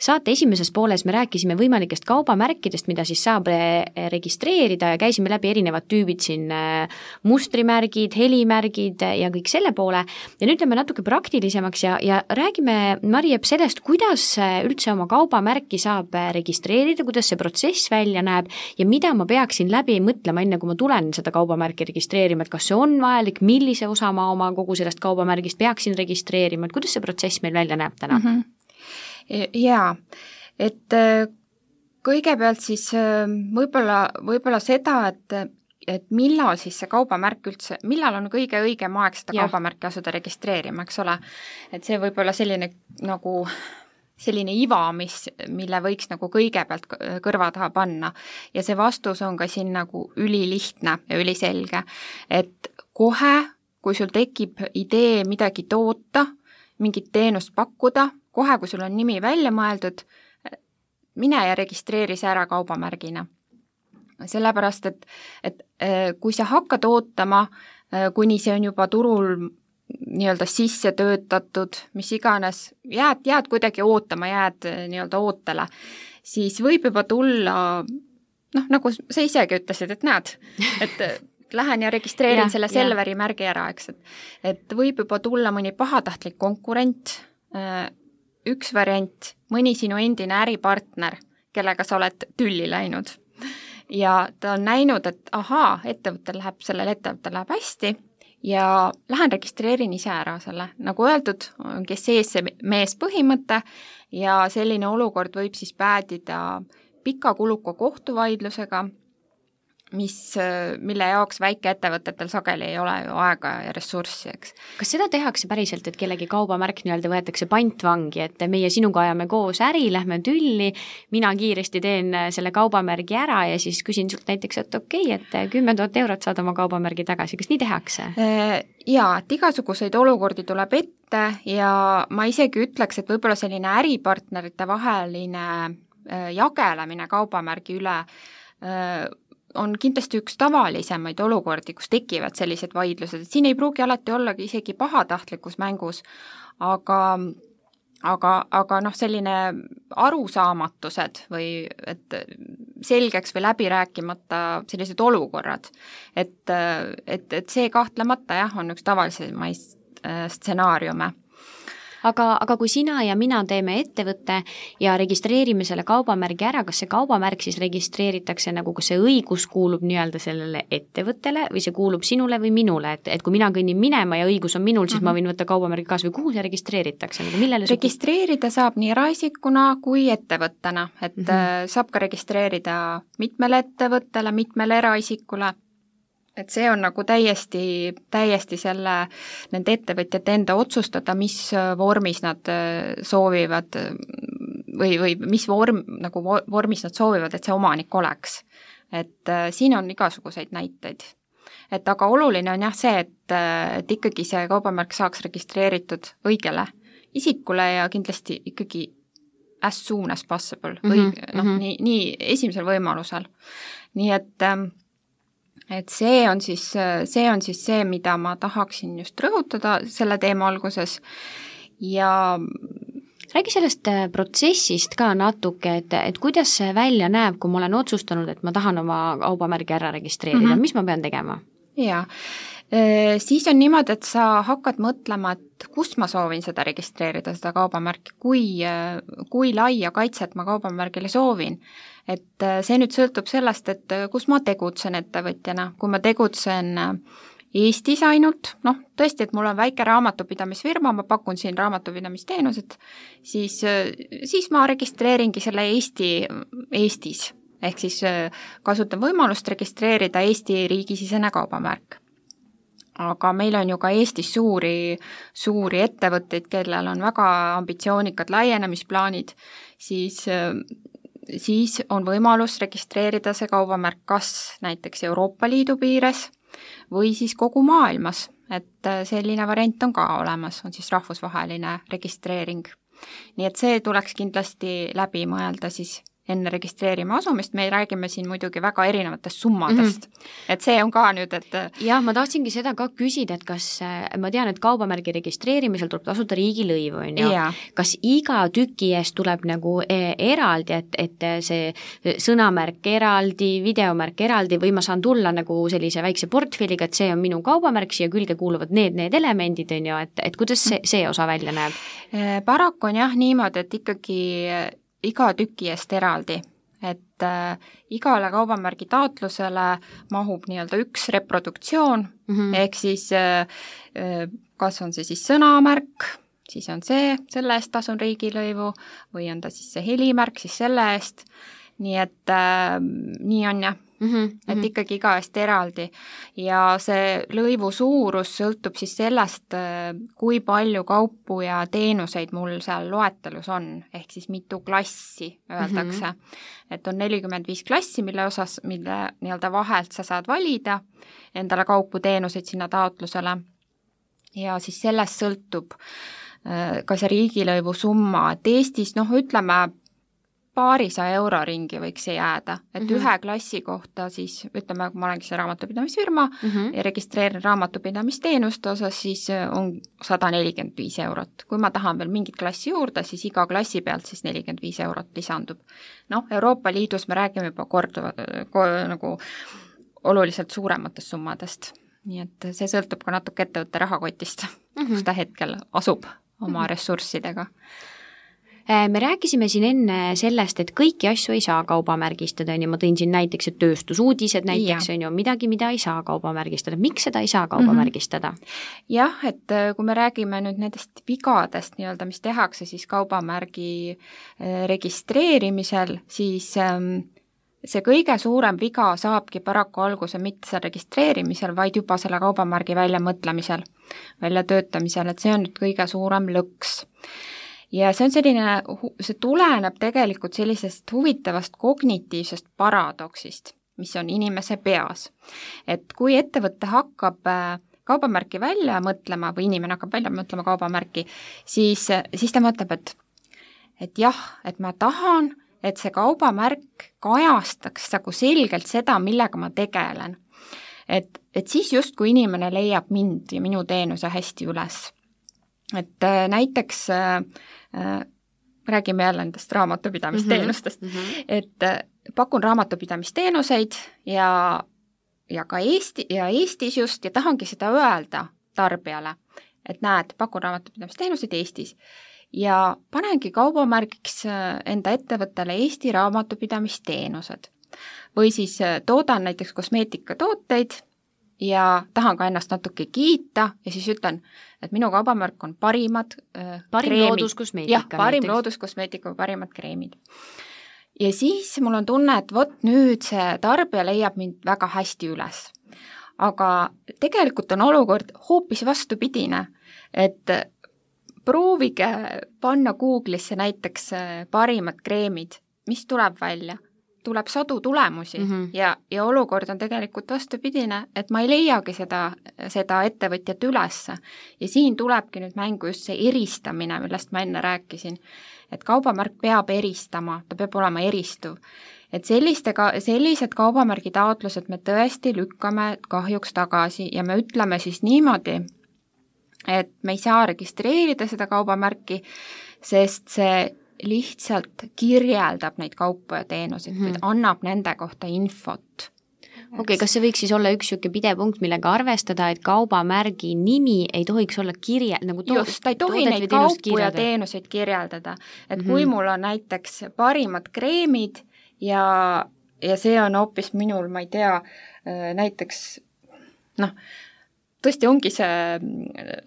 Saate esimeses pooles me rääkisime võimalikest kaubamärkidest, mida siis saab registreerida ja käisime läbi erinevad tüübid siin, mustrimärgid, helimärgid ja kõik selle poole. Ja nüüd lähme natuke praktilisemaks ja, ja räägime, Mari-Epp, sellest, kuidas üldse oma kaubamärki saab registreerida, kuidas see protsess välja näeb ja mida ma peaksin läbi mõtlema, enne kui ma tulen seda kaubamärki registreerima, et kas see on vajalik, millise osa ma oma kogu sellest kaubamärgist peaksin registreerima, et kuidas see protsess meil välja näeb täna? Mm-hmm. Jaa, et kõigepealt siis võib-olla, võib-olla seda, et, et millal siis see kaubamärk üldse, millal on kõige õigem aeg seda ja. kaubamärki asuda registreerima, eks ole, et see võib olla selline nagu selline iva, mis, mille võiks nagu kõigepealt kõrva taha panna ja see vastus on ka siin nagu ülilihtne ja üliselge, et kohe, kui sul tekib idee midagi toota, mingit teenust pakkuda, kohe, kui sul on nimi välja mõeldud, mine ja registreeri see ära kaubamärgina. Sellepärast, et, et kui sa hakkad ootama, kuni see on juba turul nii-öelda sisse töötatud, mis iganes, jääd, jääd kuidagi ootama, jääd nii-öelda ootele, siis võib juba tulla, noh, nagu sa isegi ütlesid, et näed, et lähen ja registreerin ja, selle Selveri märgi ära, eks, et, et võib juba tulla mõni pahatahtlik konkurent, üks variant, mõni sinu endine äripartner, kellega sa oled tülli läinud ja ta on näinud, et ahaa, ettevõttel läheb, sellel ettevõttel läheb hästi ja lähen registreerin ise ära selle. Nagu öeldud, kes sees see mees põhimõte ja selline olukord võib siis päädida pika kuluka kohtuvaidlusega mis, mille jaoks väikeettevõtetel sageli ei ole ju aega ja ressurssi, eks. Kas seda tehakse päriselt, et kellegi kaubamärk nii-öelda võetakse pantvangi, et meie sinuga ajame koos äri, lähme tülli, mina kiiresti teen selle kaubamärgi ära ja siis küsin sult näiteks, et okei, okay, et kümme tuhat eurot saad oma kaubamärgi tagasi, kas nii tehakse? Jaa, et igasuguseid olukordi tuleb ette ja ma isegi ütleks, et võib-olla selline äripartnerite vaheline jagelemine kaubamärgi üle on kindlasti üks tavalisemaid olukordi, kus tekivad sellised vaidlused, et siin ei pruugi alati ollagi isegi pahatahtlikus mängus, aga, aga, aga noh, selline arusaamatused või et selgeks või läbi rääkimata sellised olukorrad, et, et, et see kahtlemata jah, on üks tavalisemaid stsenaariume. Aga, aga kui sina ja mina teeme ettevõtte ja registreerime selle kaubamärgi ära, kas see kaubamärk siis registreeritakse nagu, kas see õigus kuulub nii-öelda sellele ettevõttele või see kuulub sinule või minule, et, et kui mina kõnnin minema ja õigus on minul, siis mm-hmm. ma võin võtta kaubamärgi kaasa või kuhu see registreeritakse? Nagu millele registreerida su... saab nii eraisikuna kui ettevõttena, et mm-hmm. saab ka registreerida mitmele ettevõttele, mitmele eraisikule. Et see on nagu täiesti, täiesti selle, nende ettevõtjate enda otsustada, mis vormis nad soovivad või, või mis vorm, nagu vormis nad soovivad, et see omanik oleks. Et siin on igasuguseid näiteid. Et aga oluline on jah see, et, et ikkagi see kaubamärk saaks registreeritud õigele isikule ja kindlasti ikkagi as soon as possible, või mm-hmm. noh, nii, nii esimesel võimalusel. Nii et et see on siis, see on siis see, mida ma tahaksin just rõhutada selle teema alguses ja räägi sellest protsessist ka natuke, et, et kuidas see välja näeb, kui ma olen otsustanud, et ma tahan oma kaubamärgi ära registreerida, mm-hmm. mis ma pean tegema? Jaa, siis on niimoodi, et sa hakkad mõtlema, et kus ma soovin seda registreerida, seda kaubamärki, kui, kui laia kaitset ma kaubamärgile soovin. Et see nüüd sõltub sellest, et kus ma tegutsen ettevõtjana, kui ma tegutsen Eestis ainult, noh tõesti, et mul on väike raamatupidamisfirma, ma pakun siin raamatupidamisteenused, siis, siis ma registreeringi selle Eesti, Eestis, ehk siis kasutan võimalust registreerida Eesti riigisisene kaubamärk. Aga meil on ju ka Eestis suuri, suuri ettevõtteid, kellel on väga ambitsioonikad laienemisplaanid, siis siis on võimalus registreerida see kaubamärk kas näiteks Euroopa Liidu piires või siis kogu maailmas, et selline variant on ka olemas, on siis rahvusvaheline registreering. Nii et see tuleks kindlasti läbi mõelda siis enne registreerima asumist, me räägime siin muidugi väga erinevatest summadest, mm-hmm. et see on ka nüüd, et jah, ma tahtsingi seda ka küsida, et kas, ma tean, et kaubamärgi registreerimisel tuleb tasuda riigilõivu, on ju, kas iga tüki eest tuleb nagu eraldi, et, et see sõnamärk eraldi, videomärk eraldi või ma saan tulla nagu sellise väikse portfelliga, et see on minu kaubamärk, siia külge kuuluvad need, need elemendid, on ju, et, et kuidas see, see osa välja näeb? Paraku on jah niimoodi, et ikkagi iga tüki eest eraldi, et äh, igale kaubamärgi taotlusele mahub nii-öelda üks reproduktsioon, mm-hmm. ehk siis äh, kas on see siis sõnamärk, siis on see, selle eest tasun riigilõivu, või on ta siis see helimärk, siis selle eest, nii et äh, nii on jah. Mm-hmm, et mm-hmm. ikkagi iga eest eraldi ja see lõivu suurus sõltub siis sellest, kui palju kaupu ja teenuseid mul seal loetelus on, ehk siis mitu klassi öeldakse, mm-hmm. et on nelikümmend viis klassi, mille osas, mille nii-öelda vahelt sa saad valida endale kaupu teenuseid sinna taotlusele ja siis sellest sõltub ka see riigilõivu summa, et Eestis noh, ütleme paarisaja euro ringi võiks see jääda, et mm-hmm. ühe klassi kohta siis, ütleme, kui ma olengi see raamatupidamisfirma mm-hmm. ja registreerin raamatupidamisteenuste osas, siis on sada nelikümmend viis eurot. Kui ma tahan veel mingit klassi juurde, siis iga klassi pealt siis nelikümmend viis eurot lisandub. Noh, Euroopa Liidus me räägime juba korduva, nagu oluliselt suurematest summadest. Nii et see sõltub ka natuke ettevõtte rahakotist, mm-hmm. kus ta hetkel asub oma mm-hmm. ressurssidega. Me rääkisime siin enne sellest, et kõiki asju ei saa kaubamärgistada, ma tõin siin näiteks, et tööstusuudised näiteks ja. On ju midagi, mida ei saa kaubamärgistada. Miks seda ei saa kaubamärgistada? Mm-hmm. Jah, et kui me räägime nüüd nendest vigadest, nii-öelda, mis tehakse siis kaubamärgi registreerimisel, siis see kõige suurem viga saabki paraku alguse mitte seal registreerimisel, vaid juba selle kaubamärgi väljamõtlemisel, väljatöötamisel, et see on nüüd kõige suurem lõks. Ja see on selline, see tuleneb tegelikult sellisest huvitavast kognitiivsest paradoksist, mis on inimese peas. Et kui ettevõte hakkab kaubamärki välja mõtlema või inimene hakkab välja mõtlema kaubamärki, siis, siis ta mõtleb, et, et jah, et ma tahan, et see kaubamärk kajastaks nagu selgelt seda, millega ma tegelen. Et, et siis just, kui inimene leiab mind ja minu teenuse hästi üles. Et äh, näiteks äh, äh, räägime jälle nendest raamatupidamisteenustest, mm-hmm. Mm-hmm. et äh, pakun raamatupidamisteenuseid ja, ja ka Eesti, ja Eestis just, ja tahangi seda öelda tarbijale, et näed, pakun raamatupidamisteenuseid Eestis. Ja panengi kaubamärgiks enda ettevõttele Eesti raamatupidamisteenused. Või siis toodan näiteks kosmeetikatooteid ja tahan ka ennast natuke kiita ja siis ütlen, et minu kaubamärk on parimad parim kreemid. looduskosmeetika. Jah, parim näiteks. looduskosmeetika või parimad kreemid. Ja siis mul on tunne, et vot nüüd see tarbija leiab mind väga hästi üles. Aga tegelikult on olukord hoopis vastupidine, et proovige panna Google'isse näiteks parimad kreemid, mis tuleb välja? Tuleb sadu tulemusi mm-hmm. ja, ja olukord on tegelikult vastupidine, et ma ei leiagi seda, seda ettevõtjat ülesse. Ja siin tulebki nüüd mängu just see eristamine, millest ma enne rääkisin. Et kaubamärk peab eristama, ta peab olema eristuv. Et selliste, sellised kaubamärgi taotlused me tõesti lükkame kahjuks tagasi ja me ütleme siis niimoodi, et me ei saa registreerida seda kaubamärki, sest see lihtsalt kirjeldab neid kaupa ja teenuseid mm, -hmm. annab nende kohta infot. Okei, okay, kas see võiks siis olla üks siuke pidepunkt, millega arvestada, et kaubamärgi nimi ei tohiks olla kirje, nagu to- just, ta ei tohi neid kaupu ja teenuseid kirjeldada. Et mm-hmm. kui mul on näiteks parimad kreemid ja, ja see on hoopis minul, ma ei tea, näiteks noh, tõesti ongi see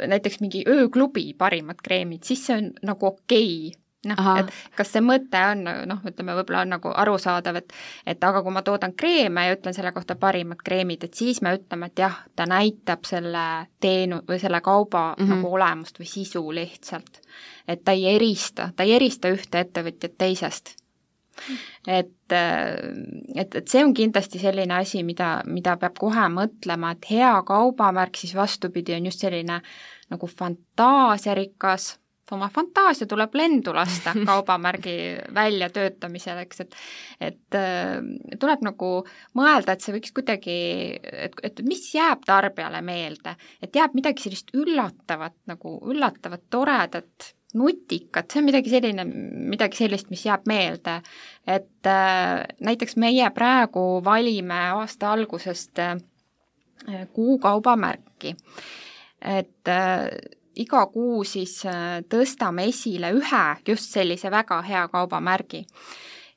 näiteks mingi ööklubi parimad kreemid, siis see on nagu okei. Noh, et kas see mõte on, noh, ütleme, võib-olla on nagu arusaadav, et, et aga kui ma toodan kreeme ja ütlen selle kohta parimad kreemid, et siis me ütleme, et jah, ta näitab selle teenu või selle kauba mm-hmm. nagu olemust või sisu lihtsalt. Et ta ei erista, ta ei erista ühte ettevõtjat teisest. Et, et, et see on kindlasti selline asi, mida, mida peab kohe mõtlema, et hea kaubamärk siis vastupidi on just selline nagu fantaasiarikas, oma fantaasia tuleb lendu lasta kaubamärgi väljatöötamisel, eks, et, et tuleb nagu mõelda, et see võiks kuidagi, et, et mis jääb tarbijale meelde, et jääb midagi sellist üllatavat, nagu üllatavat, toredat, nutikat, see on midagi selline, midagi sellist, mis jääb meelde, et äh, näiteks meie praegu valime aasta algusest äh, kuu kaubamärki, et äh, iga kuu siis tõstame esile ühe just sellise väga hea kaubamärgi.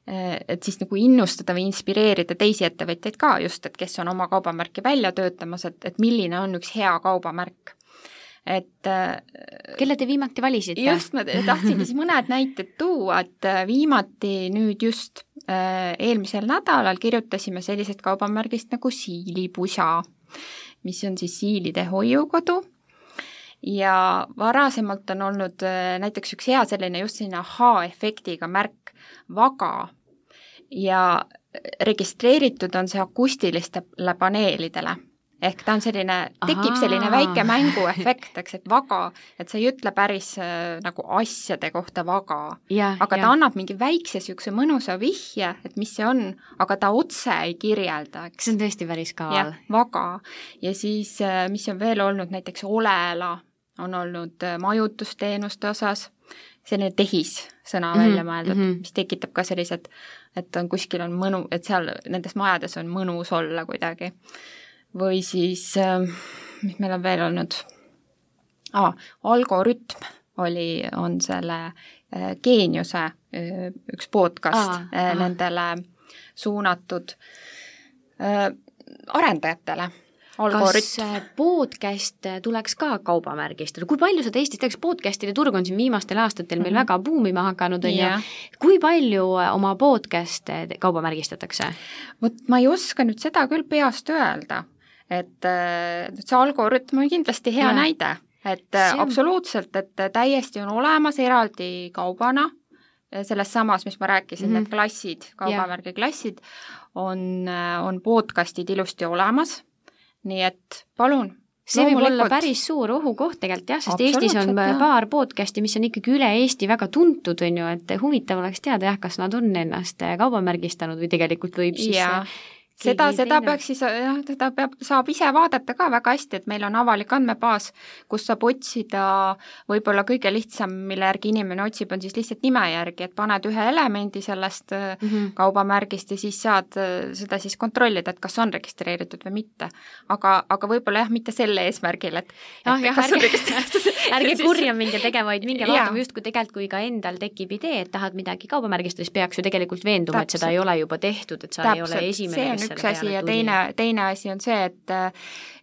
Et siis nagu innustada või inspireerida teisi ettevõtjaid ka just, et kes on oma kaubamärki välja töötamas, et, et milline on üks hea kaubamärk. Et, kelle te viimati valisite? Just, ma tahtsingi siis mõned näited tuua, et viimati nüüd just eelmisel nädalal kirjutasime sellisest kaubamärgist nagu Siilipusa, mis on siis siilide hoiukodu. Ja varasemalt on olnud näiteks üks hea selline just selline aha-efektiga märk Vaga ja registreeritud on see akustilistele paneelidele. Ehk ta on selline, tekib Aha. selline väike mänguefekt, eks, et Vaga, et see ei ütle päris äh, nagu asjade kohta Vaga, ja, aga ja. ta annab mingi väikse siukse mõnusa vihje, et mis see on, aga ta otse ei kirjelda, eks. See on tõesti päris kaval. Vaga. Ja siis, äh, mis on veel olnud, näiteks Olela on olnud äh, majutusteenuste osas, selline tehis sõna mm-hmm. välja mõeldud, mm-hmm. mis tekitab ka sellised, et on kuskil on mõnu, et seal nendes majades on mõnus olla kuidagi. Või siis, mis meil on veel olnud, ah, algoritm oli, on selle äh, Geeniuse äh, üks podcast ah, äh, nendele suunatud äh, arendajatele. algoritm. Kas podcast tuleks ka kaubamärgistada? Kui palju seda Eestis teeks? Podcastide turg on siin viimastel aastatel meil mm -hmm. väga buumima hakanud, on yeah. ju. Kui palju oma podcast kaubamärgistatakse? Vot ma ei oska nüüd seda küll peast öelda, et see algoritm on kindlasti hea yeah. näide, et on... absoluutselt, et täiesti on olemas eraldi kaubana, selles samas, mis ma rääkisin, mm -hmm. need klassid, kaubamärgi klassid, on, on podcastid ilusti olemas, nii et palun. See võib olla päris suur ohukoht tegelikult jah, sest Eestis on jah. paar podcasti, mis on ikkagi üle Eesti väga tuntud, on ju, et huvitav oleks teada jah, kas nad on ennast kaubamärgistanud või tegelikult võib siis ja. Seda, seda peaks siis, jah, seda peab, saab ise vaadata ka väga hästi, et meil on avalik andmebaas, kus saab otsida võib-olla kõige lihtsam, mille järgi inimene otsib, on siis lihtsalt nime järgi, et paned ühe elemendi sellest mm -hmm. kaubamärgist ja siis saad seda siis kontrollida, et kas on registreeritud või mitte. Aga, aga võib-olla jah, mitte selle eesmärgil, et, ah, et jah, kas ärge, on registreeritud. Ärge kurja minge tegema, vaid minge vaatama just, kui tegelikult, kui ka endal tekib idee, et tahad midagi kaubamärgistada, siis peaks ju tegelikult veenduma, et seda ei ole juba tehtud, et sa Täpselt. ei ole esimene, üks asi ja teine, teine asi on see, et,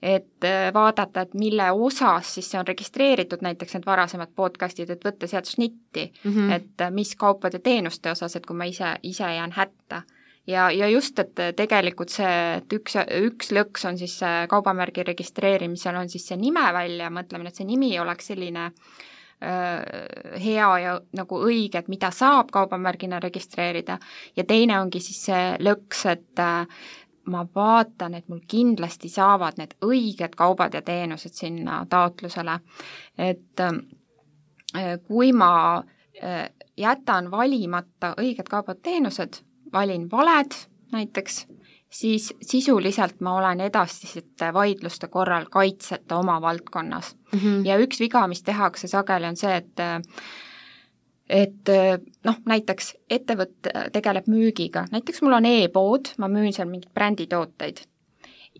et vaadata, et mille osas siis see on registreeritud, näiteks need varasemad podcastid, et võtta sealt snitti, mm -hmm. et mis kaupade teenuste osas, et kui ma ise, ise jään hätta. Ja, ja just, et tegelikult see, et üks, üks lõks on siis kaubamärgi registreerimisel on siis see nime välja, mõtlemine, et see nimi oleks selline hea ja nagu õige, et mida saab kaubamärgina registreerida ja teine ongi siis see lõks, et ma vaatan, et mul kindlasti saavad need õiged kaubad ja teenused sinna taotlusele, et kui ma jätan valimata õiged kaubad teenused, valin valed näiteks, siis sisuliselt ma olen edasiste vaidluste korral kaitseta oma valdkonnas. Mm -hmm. Ja üks viga, mis tehakse sageli, on see, et et noh, näiteks ettevõte tegeleb müügiga, näiteks mul on e-pood, ma müün seal mingid bränditooteid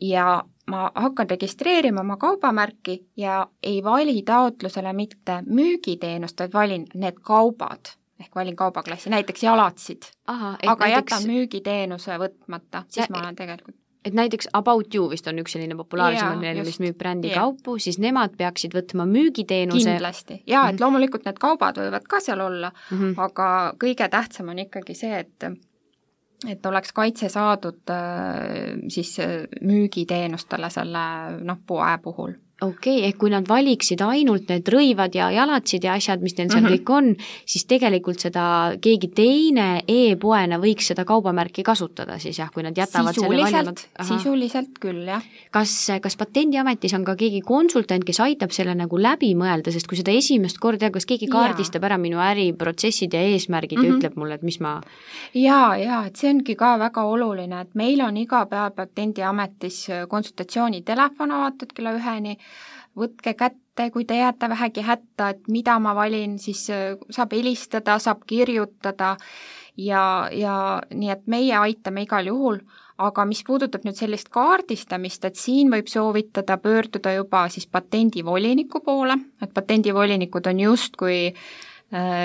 ja ma hakkan registreerima oma kaubamärki ja ei vali taotlusele mitte müügiteenust, vaid valin need kaubad, ehk valin kaubaklassi, näiteks jalatsid, Aha, aga näiteks... jätan müügiteenuse võtmata, siis ja, ma olen tegelikult et näiteks About You vist on üks selline populaarsem, mis müüb brändikaupu, siis nemad peaksid võtma müügiteenuse. Kindlasti. Ja, mm -hmm. et loomulikult need kaubad võivad ka seal olla, mm -hmm. aga kõige tähtsam on ikkagi see, et et oleks kaitse saadud siis müügiteenustele selle noh, poe puhul. Okei, okay, ehk kui nad valiksid ainult need rõivad ja jalatsid ja asjad, mis neil seal mm -hmm. kõik on, siis tegelikult seda keegi teine e-poena võiks seda kaubamärki kasutada siis jah, kui nad jätavad sisuliselt, selle valimad. Sisuliselt küll, jah. Kas, kas Patendiametis on ka keegi konsultant, kes aitab selle nagu läbi mõelda, sest kui seda esimest korda, kas keegi kaardistab ja. ära minu äriprotsessid ja eesmärgid mm -hmm. ja ütleb mulle, et mis ma... Jaa, jaa, et see ongi ka väga oluline, et meil on iga päev Patendiametis konsultatsioonitelefon avatud kella üheni, võtke kätte, kui te jääte vähegi hätta, et mida ma valin, siis saab helistada, saab kirjutada ja, ja nii, et meie aitame igal juhul, aga mis puudutab nüüd sellist kaardistamist, et siin võib soovitada pöörduda juba siis patendivoliniku poole, et patendivolinikud on justkui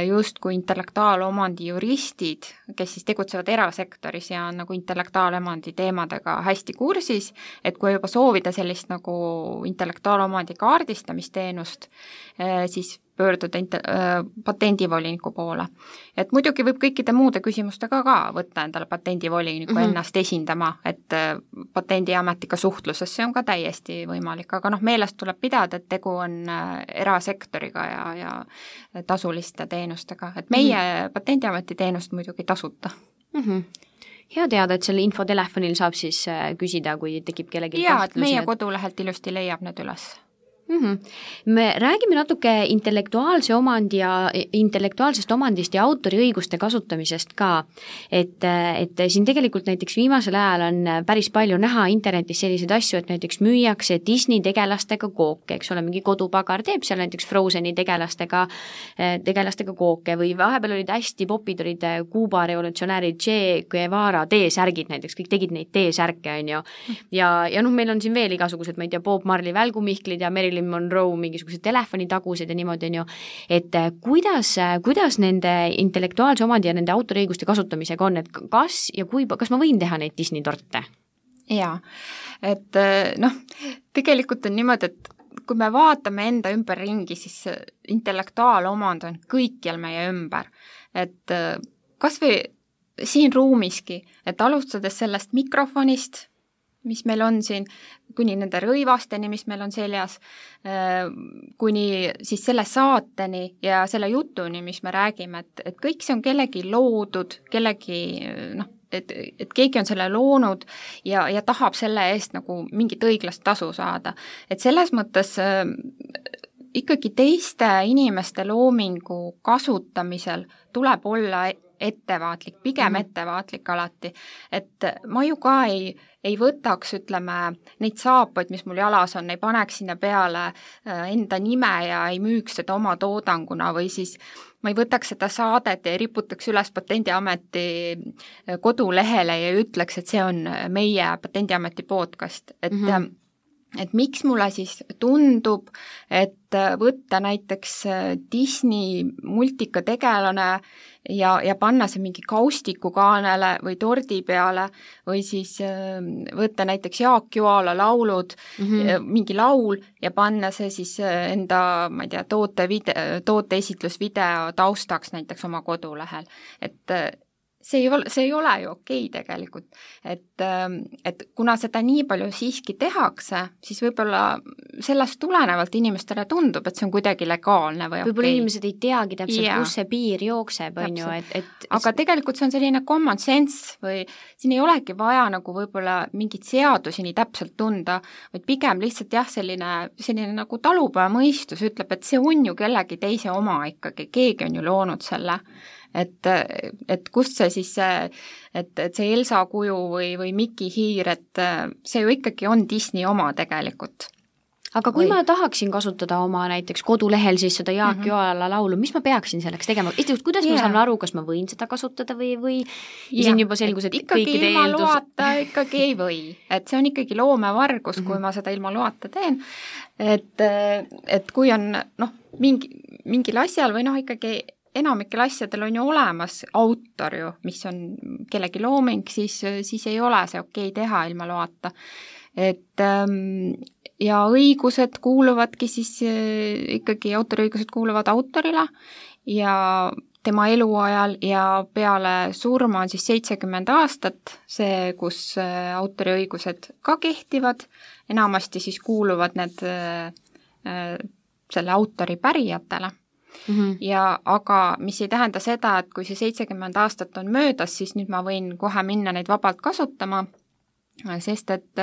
justkui intellektuaalomandi juristid, kes siis tegutsevad erasektoris ja on nagu intellektuaalomandi teemadega hästi kursis, et kui juba soovida sellist nagu intellektuaalomandi kaardistamisteenust, siis pöörduda int- äh, patendivoliniku poole. Et muidugi võib kõikide muude küsimustega ka võtta endale patendivoliniku mm -hmm. ennast esindama, et äh, Patendiametiga suhtluses see on ka täiesti võimalik, aga noh, meelest tuleb pidada, et tegu on äh, erasektoriga ja, ja tasuliste teenustega, et meie mm -hmm. Patendiameti teenust muidugi tasuta mm. -hmm. Hea teada, et selle infotelefonil saab siis äh, küsida, kui tekib kellegi jaa, et meie kodulehelt ilusti leiab need üles. Mm-hmm. Me räägime natuke intellektuaalse omandi ja intellektuaalsest omandist ja autoriõiguste kasutamisest ka, et, et siin tegelikult näiteks viimasel ajal on päris palju näha internetis selliseid asju, et näiteks müüakse Disney tegelastega kooke, eks ole, mingi kodupagar teeb seal näiteks Frozeni tegelastega, tegelastega kooke või vahepeal olid hästi popid, olid Kuuba revolutsionäärid Che Guevara T-särgid näiteks, kõik tegid neid T-särke, on ju, ja, ja noh, meil on siin veel igasugused, ma ei tea, Bob Marley välgumihklid ja Marilyn Monroe mingisugused telefonitagused ja niimoodi on ju, et kuidas, kuidas nende intellektuaalse omandi ja nende autoriõiguste kasutamisega on, et kas ja kui, kas ma võin teha neid Disney torte? jaa, et noh, tegelikult on niimoodi, et kui me vaatame enda ümberringi, siis intellektuaalomand on kõikjal meie ümber. Et kas või siin ruumiski, et alustades sellest mikrofonist, mis meil on siin, kuni nende rõivasteni, mis meil on seljas, kuni siis selle saateni ja selle jutuni, mis me räägime, et, et kõik see on kellegi loodud, kellegi, noh, et, et keegi on selle loonud ja, ja tahab selle eest nagu mingit õiglast tasu saada. Et selles mõttes äh, ikkagi teiste inimeste loomingu kasutamisel tuleb olla ettevaatlik, pigem mm. ettevaatlik alati, et ma ju ka ei, ei võtaks, ütleme, neid saapaid, mis mul jalas on, ei paneks sinna peale enda nime ja ei müüks seda oma toodanguna või siis ma ei võtaks seda saadet ja ei riputaks üles Patendiameti kodulehele ja ütleks, et see on meie Patendiameti podcast, et mm-hmm. et miks mulle siis tundub, et võtta näiteks Disney multikategelane ja, ja panna see mingi kaustiku kaanele või tordi peale või siis võtta näiteks Jaak Joala laulud, mm-hmm. mingi laul ja panna see siis enda, ma ei tea, toote, video, toote esitlusvideo taustaks näiteks oma kodulehel, et see ei ole, see ei ole ju okei tegelikult, et, et kuna seda nii palju siiski tehakse, siis võib-olla sellest tulenevalt inimestele tundub, et see on kuidagi legaalne või võib-olla okei. Inimesed ei teagi täpselt, yeah. kus see piir jookseb, on ju, et, et aga tegelikult see on selline common sense või siin ei olegi vaja nagu võib-olla mingit seadusi nii täpselt tunda, vaid pigem lihtsalt jah, selline, selline nagu talupojamõistus ütleb, et see on ju kellegi teise oma ikkagi, keegi on ju loonud selle. Et, et kust see siis see, et, et see Elsa kuju või, või Miki Hiir, et see ju ikkagi on Disney oma tegelikult. Aga kui või... ma tahaksin kasutada oma näiteks kodulehel siis seda Jaak mm-hmm. Joala laulu, mis ma peaksin selleks tegema? Esiteks, kuidas yeah. ma saan aru, kas ma võin seda kasutada või, või ja siin juba selgus, et ikkagi kõikide ilma eeldus... loata ikkagi ei või. Et see on ikkagi loomevargus, mm-hmm. kui ma seda ilma loata teen. Et, et kui on noh, mingi, mingil asjal või noh, ikkagi enamikel asjadel on ju olemas autor ju, mis on kellegi looming, siis, siis ei ole see okei teha ilma loata. Et ja õigused kuuluvadki siis ikkagi, autoriõigused kuuluvad autorile ja tema eluajal ja peale surma on siis seitsekümmend aastat see, kus autoriõigused ka kehtivad, enamasti siis kuuluvad need selle autori pärijatele. Mm-hmm. Ja aga mis ei tähenda seda, et kui see seitsekümmend aastat on möödas, siis nüüd ma võin kohe minna neid vabalt kasutama, sest et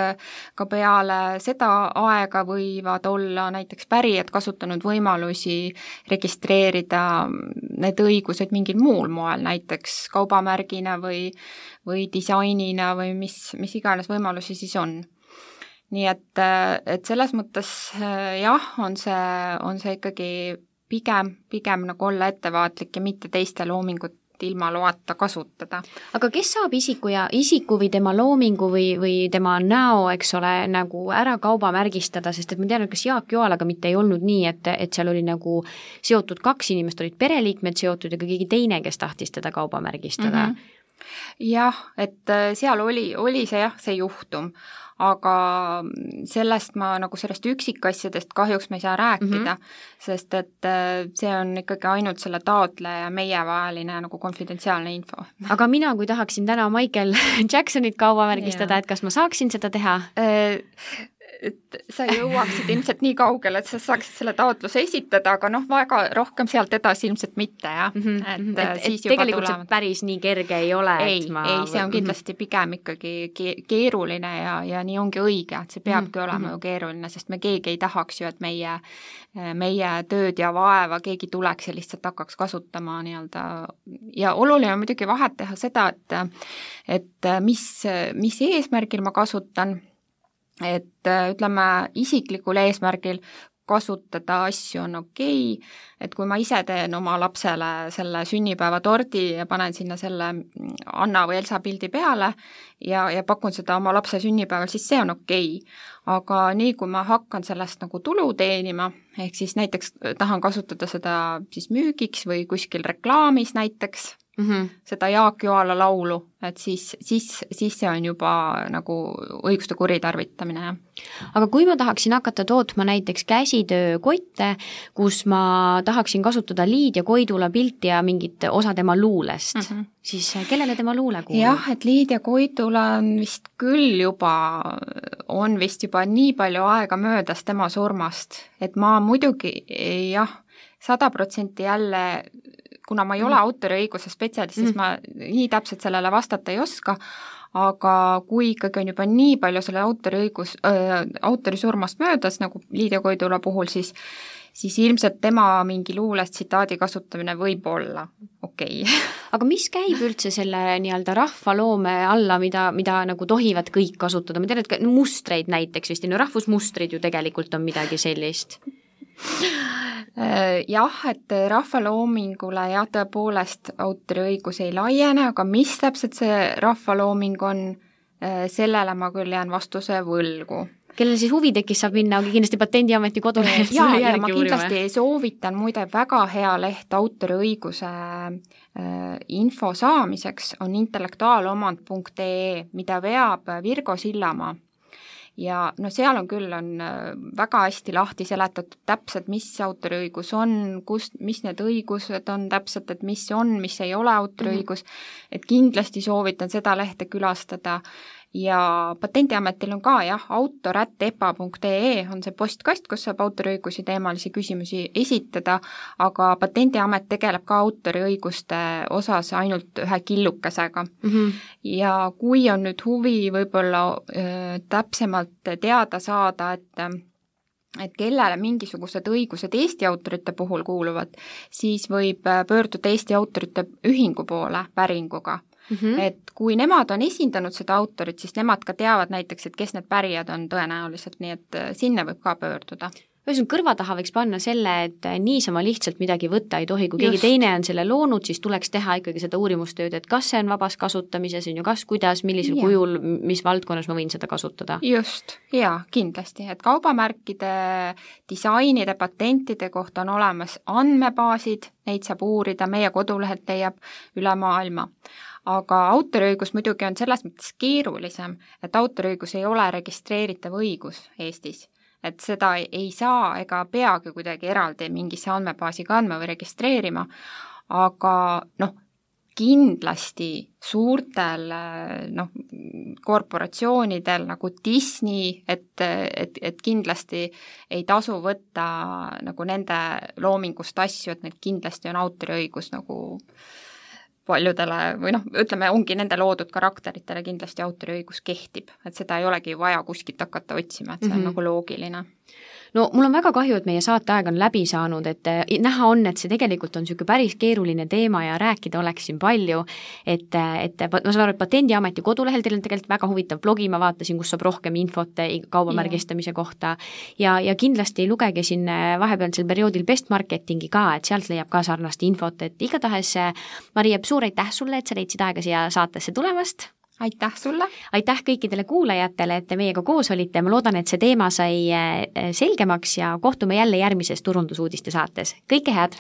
ka peale seda aega võivad olla näiteks pärijad kasutanud võimalusi registreerida need õigused mingil muul moel, näiteks kaubamärgina või, või disainina või mis, mis iganes võimalusi siis on. Nii et, et selles mõttes jah, on see, on see ikkagi pigem, pigem nagu olla ettevaatlik ja mitte teiste loomingut ilma loata kasutada. Aga kes saab isiku ja isiku või tema loomingu või, või tema näo, eks ole, nagu ära kaubamärgistada, sest et ma tean, et kas Jaak Joalaga mitte ei olnud nii, et, et seal oli nagu seotud kaks inimest, olid pereliikmed seotud ja ka keegi teine, kes tahtis teda kaubamärgistada. Mm-hmm. Jah, et seal oli, oli see jah, see juhtum, aga sellest ma nagu sellest üksikasjadest kahjuks me ei saa rääkida, mm-hmm. sest et see on ikkagi ainult selle taotleja meie vaheline nagu konfidentsiaalne info. Aga mina, kui tahaksin täna Michael Jacksonit kaubamärgistada, et kas ma saaksin seda teha? Et sa jõuaksid ilmselt nii kaugele, et sa saaksid selle taotluse esitada, aga noh, väga rohkem sealt edasi ilmselt mitte, jah. Mm-hmm. Et, et, siis et tegelikult tulevad. See päris nii kerge ei ole. Ei, et ma... ei, see on kindlasti pigem ikkagi keeruline ja, ja nii ongi õige, et see peabki mm-hmm. olema ju keeruline, sest me keegi ei tahaks ju, et meie, meie tööd ja vaeva keegi tuleks ja lihtsalt hakkaks kasutama nii-öelda. Ja oluline on muidugi vahet teha seda, et, et mis, mis eesmärgil ma kasutan, et ütleme, isiklikul eesmärgil kasutada asju on okei, et kui ma ise teen oma lapsele selle sünnipäeva tordi ja panen sinna selle Anna või Elsa pildi peale ja, ja pakun seda oma lapse sünnipäeval, siis see on okei. Aga nii, kui ma hakkan sellest nagu tulu teenima, ehk siis näiteks tahan kasutada seda siis müügiks või kuskil reklaamis näiteks, mm, -hmm. seda Jaak Joala laulu, et siis, siis, siis see on juba nagu õiguste kuritarvitamine, jah. Aga kui ma tahaksin hakata tootma näiteks käsitöökotte, kus ma tahaksin kasutada Liidia Koidula pilti ja mingit osa tema luulest, mm -hmm. siis kellele tema luule kuulub? jah, et Liidia Koidula on vist küll juba, on vist juba nii palju aega möödas tema surmast, et ma muidugi jah, sada protsenti jälle, kuna ma ei ole autoriõiguse spetsialist, siis mm. ma nii täpselt sellele vastata ei oska, aga kui ikkagi on juba nii palju selle autoriõigus, äh, autori surmast möödas, nagu Liidia Koidula puhul, siis siis ilmselt tema mingi luulest tsitaadi kasutamine võib olla okei okay. Aga mis käib üldse selle nii-öelda rahvaloome alla, mida, mida nagu tohivad kõik kasutada? Ma tean, et mustreid näiteks vist, no rahvusmustrid ju tegelikult on midagi sellist. Jah, et rahvaloomingule jah, tõepoolest autoriõigus ei laiene, aga mis täpselt see rahvalooming on, sellele ma küll jään vastuse võlgu. Kellel siis huvi tekkis, saab minna kindlasti Patendiameti kodulehelt ja, ja ma kindlasti uurima. Soovitan muide väga hea leht autoriõiguse info saamiseks on intellektuaalomand punkt ee, mida veab Virgo Sillamaa. Ja no seal on küll, on väga hästi lahti seletatud täpselt, mis autoriõigus on, kust, mis need õigused on täpselt, et mis on, mis ei ole autoriõigus, mm-hmm. et kindlasti soovitan seda lehte külastada. Ja Patendiametil on ka jah, autor at e p a punkt ee on see postkast, kus saab autoriõigusi teemalisi küsimusi esitada, aga Patendiamet tegeleb ka autoriõiguste osas ainult ühe killukesega. Mm-hmm. Ja kui on nüüd huvi võib-olla äh, täpsemalt teada saada, et et kellele mingisugused õigused Eesti autorite puhul kuuluvad, siis võib pöörduda Eesti autorite ühingu poole päringuga. Mm-hmm. Et kui nemad on esindanud seda autorit, siis nemad ka teavad näiteks, et kes need pärijad on tõenäoliselt, nii et sinna võib ka pöörduda. Ühesõnaga kõrva taha võiks panna selle, et niisama lihtsalt midagi võtta ei tohi, kui keegi Just. teine on selle loonud, siis tuleks teha ikkagi seda uurimustööd, et kas see on vabas kasutamises, on ju, kas, kuidas, millisel ja. kujul, mis valdkonnas ma võin seda kasutada. Just, jaa, kindlasti, et kaubamärkide, disainide, patentide kohta on olemas andmebaasid, neid saab uurida, meie kodulehelt leiab üle maailma. Aga autoriõigus muidugi on selles mõttes keerulisem, et autoriõigus ei ole registreeritav õigus Eestis. Et seda ei saa ega peagi kuidagi eraldi mingisse andmebaasi kandma või registreerima, aga noh, kindlasti suurtel noh, korporatsioonidel nagu Disney, et, et, et kindlasti ei tasu võtta nagu nende loomingust asju, et need kindlasti on autoriõigus nagu paljudele või noh, ütleme, ongi nende loodud karakteritele kindlasti autoriõigus kehtib, et seda ei olegi vaja kuskilt hakata otsima, et see on mm-hmm. nagu loogiline. No mul on väga kahju, et meie saateaeg on läbi saanud, et näha on, et see tegelikult on niisugune päris keeruline teema ja rääkida oleks siin palju, et, et ma saan aru, et Patendiameti kodulehel teil on tegelikult väga huvitav blogi, ma vaatasin, kus saab rohkem infot kaubamärgistamise yeah. kohta ja, ja kindlasti lugege siin vahepealsel perioodil Best Marketingi ka, et sealt leiab ka sarnast infot, et igatahes Maria, suur aitäh sulle, et sa leidsid aega siia saatesse tulemast. Aitäh sulle! Aitäh kõikidele kuulajatele, et te meiega koos olite, ma loodan, et see teema sai selgemaks ja kohtume jälle järgmises turundusuudiste saates. Kõike head!